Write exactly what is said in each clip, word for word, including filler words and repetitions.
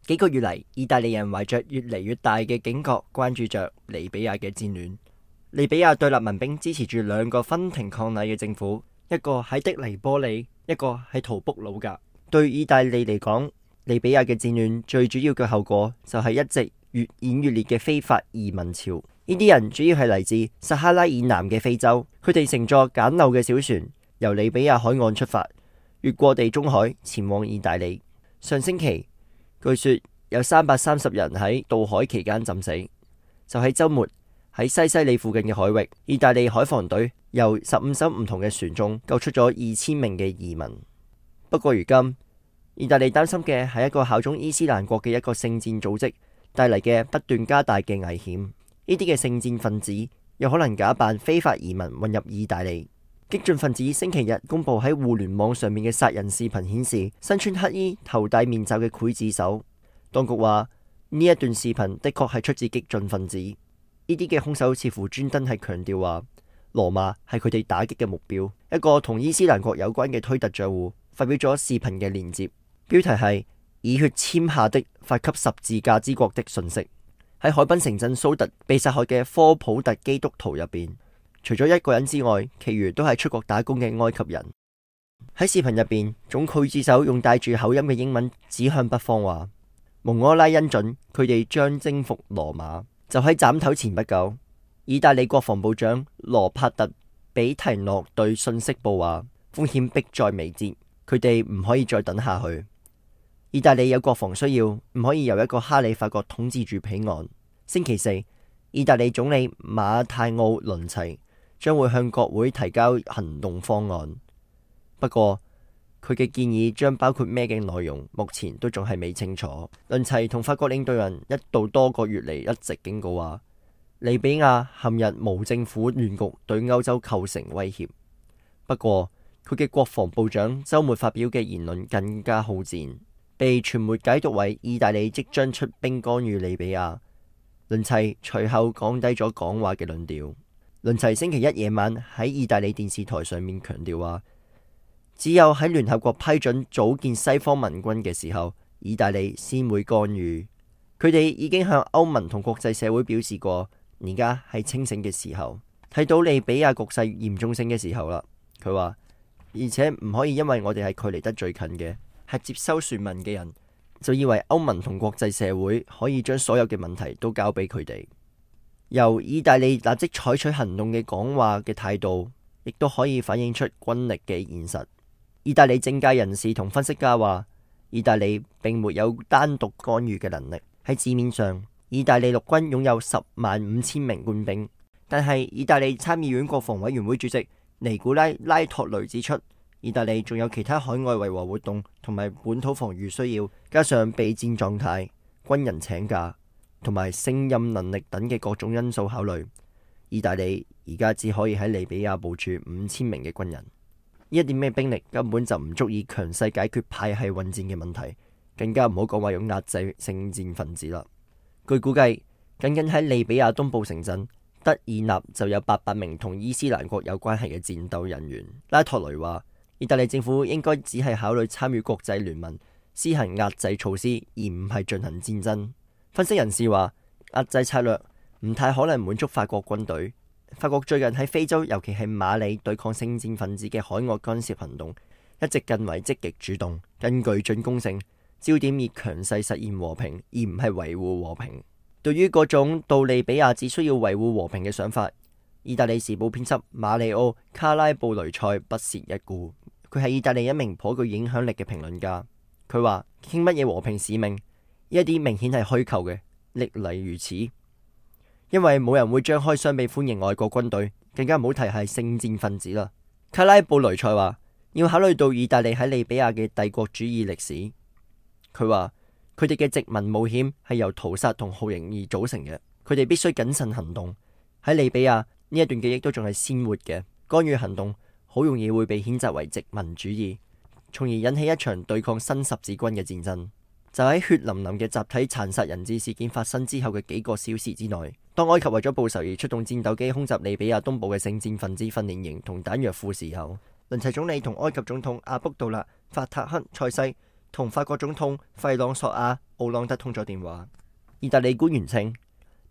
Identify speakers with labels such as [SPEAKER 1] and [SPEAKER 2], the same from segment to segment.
[SPEAKER 1] 幾個月嚟，意大利人懷着越嚟越大嘅警覺，關注着利比亞嘅戰亂。利比亞對立民兵支持住兩個分庭抗禮嘅政府，一個喺的黎波里，一個喺圖卜魯格。對意大利嚟講，利比亞嘅戰亂最主要嘅後果就係一直越演越烈嘅非法移民潮。呢啲人主要係嚟自撒哈拉以南嘅非洲，佢哋乘坐簡陋嘅小船由利比亞海岸出發，越過地中海前往意大利。上星期據說有三百三十人喺渡海期間浸死。就喺週末喺西西里附近嘅海域，意大利海防隊由十五艘唔同嘅船中救出咗二千名嘅移民。不過如今，意大利擔心嘅係一個效忠伊斯蘭國嘅一個聖戰組織帶嚟嘅不斷加大嘅危險。呢啲嘅聖戰分子有可能假扮非法移民混入意大利。激進分子星期日公佈喺互聯網上面嘅殺人視頻顯示，身穿黑衣、頭戴面罩嘅劊子手。當局話呢一段視頻的確係出自激進分子。呢啲嘅兇手似乎專登係強調話，羅馬係佢哋打擊嘅目標。一個同伊斯蘭國有關嘅推特賬戶發表咗視頻嘅連接，標題係以血簽下的發給十字架之國的訊息。喺海濱城鎮蘇特被殺害嘅科普特基督徒入邊，除咗一個人之外，其餘都係出國打工嘅埃及人。喺視頻入邊，總劊子手用帶住口音嘅英文指向北方話，蒙哥拉恩准佢哋將征服羅馬。就喺斬頭前不久，意大利國防部長羅帕特比提諾對信息報話，風險迫在眉睫，佢哋唔可以再等下去。意大利有國防需要，唔可以由一個哈里發國統治住彼岸。星期四，意大利總理馬泰奧倫齊將會向國會提交行動方案。不過佢嘅建議將包括咩嘅內容，目前都仲係未清楚。倫齊同法國領導人一度多個月嚟一直警告話，利比亞陷入無政府亂局，對歐洲構成威脅。不過佢嘅國防部長週末發表嘅言論更加好戰，被傳媒解讀為意大利即將出兵干預利比亞。倫齊隨後降低咗講話嘅論調。倫齊星期一夜晚喺意大利電視台上面強調話，只有喺聯合國批准組建西方盟軍嘅時候，意大利先會干預。佢哋已經向歐盟同國際社會表示過，而家係清醒嘅時候，睇到利比亞局勢嚴重性嘅時候啦。佢話，而且唔可以因為我哋係距離得最近嘅，係接收船民嘅人，就以為歐盟同國際社會可以將所有嘅問題都交俾佢哋。由意大利立即採取行動嘅講話嘅態度，亦都可以反映出軍力嘅現實。意大利政界人士同分析家話，意大利並沒有單獨干預嘅能力。喺字面上，意大利陸軍擁有十萬五千名官兵，但係意大利參議院國防委員會主席尼古拉拉托雷指出，意大利仲有其他海外維和活動同埋本土防禦需要，加上備戰狀態、軍人請假同埋勝任能力等嘅各種因素考慮，意大利而家只可以喺利比亞部署五千名嘅軍人。呢一點嘅兵力根本就唔足以強勢解決派系混戰嘅問題，更加唔好講話用壓制聖戰分子啦。據估計，僅僅喺利比亞東部城鎮德爾納就有八百名同伊斯蘭國有關係嘅戰鬥人員。拉托雷話，意大利政府應該只係考慮參與國際聯盟施行壓制措施，而唔係進行戰爭。分析人士話，壓制策略唔太可能滿足法國軍隊。法國最近喺非洲，尤其係馬里對抗聖戰分子嘅海外干涉行動，一直更為積極主動，更具進攻性，焦點以強勢實現和平，而唔係維護和平。對於嗰種到利比亞只需要維護和平嘅想法，意大利時報編輯馬里奧卡拉布雷塞不屑一顧。佢係意大利一名頗具影響力嘅評論家。佢話，傾乜嘢和平使命，呢一啲明顯係虛構嘅，歷嚟如此。因為冇人會張開雙臂歡迎外國軍隊，更加唔好提係聖戰分子啦。卡拉布雷塞話，要考慮到意大利喺利比亞嘅帝國主義歷史。佢話佢哋嘅殖民冒險係由屠殺同酷刑而組成嘅，佢哋必須謹慎行動。喺利比亞呢一段記憶都仲係鮮活嘅，干預行動好容易會被譴責為殖民主義，從而引起一場對抗新十字軍嘅戰爭。就喺血淋淋嘅集體殘殺人質事件發生之後嘅幾個小時之內，當埃及為咗報仇而出動戰鬥機空襲利比亞東部嘅聖戰分子訓練營同彈藥庫時候，倫齊總理同埃及總統阿卜杜勒法塔克塞西同法國總統費朗索亞奧朗德通咗電話。意大利官員稱，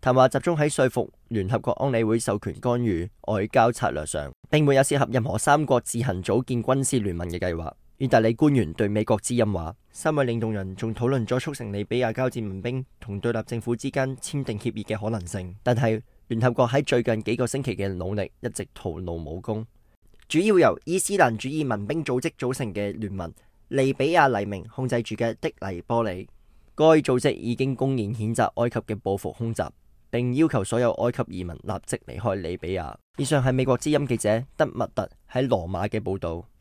[SPEAKER 1] 談話集中喺說服聯合國安理會授權干預外交策略上，並沒有涉及任何三國自行組建軍事聯盟嘅計劃。意大利官員對美國之音話，三位領導人仲討論咗促成利比亞交戰民兵同對立政府之間簽訂協議嘅可能性，但係聯合國喺最近幾個星期嘅努力一直徒勞無功。主要由伊斯蘭主義民兵組織組成嘅聯盟利比亞黎明控制住嘅的黎波里，該組織已經公然譴責埃及嘅報復空襲，並要求所有埃及移民立即離開利比亞。以上係美國之音記者德密特喺羅馬嘅報道。